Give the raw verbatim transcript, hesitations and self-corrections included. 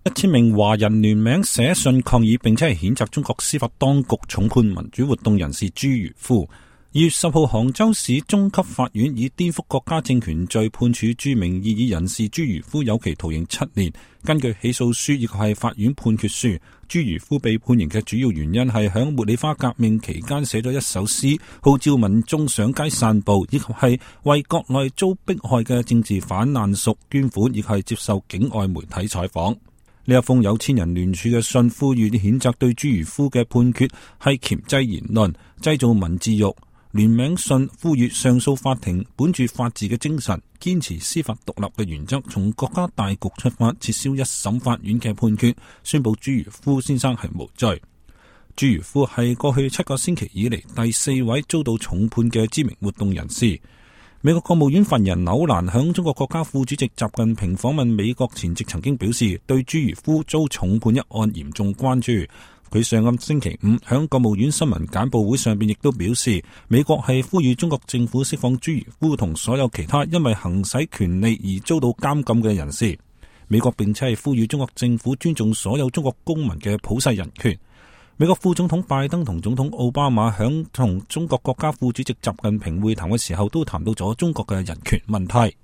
一千名華人聯名寫信抗議，並且係譴責中國司法當局重判民主活動人士朱如夫。二月十號，杭州市中級法院以顛覆國家政權罪判處著名異議人士朱如夫有期徒刑七年。根據起訴書以及係法院判決書，朱如夫被判刑嘅主要原因係響茉莉花革命期間寫咗一首詩，號召民眾上街散步，以及係為國內遭迫害嘅政治反難屬捐款，以及係接受境外媒體採訪。呢一封有千人聯署嘅信，呼籲啲譴責對朱如夫嘅判決係鉗制言論、製造文字獄。聯名信呼籲上訴法庭本住法治嘅精神，堅持司法獨立嘅原則，從國家大局出發，撤銷一審法院嘅判決，宣布朱如夫先生係無罪。朱如夫係過去七個星期以嚟第四位遭到重判嘅知名活動人士。美國國務院發言人紐蘭響中國國家副主席習近平訪問美國前夕曾經表示，對朱如夫遭重判一案嚴重關注。佢上個星期五響國務院新聞簡報會上邊亦都表示，美國係呼籲中國政府釋放朱如夫同所有其他因為行使權利而遭到監禁嘅人士。美國並且係呼籲中國政府尊重所有中國公民嘅普世人權。美國副總統拜登同總統奧巴馬響同中國國家副主席習近平會談嘅時候，都談到咗中國嘅人權問題。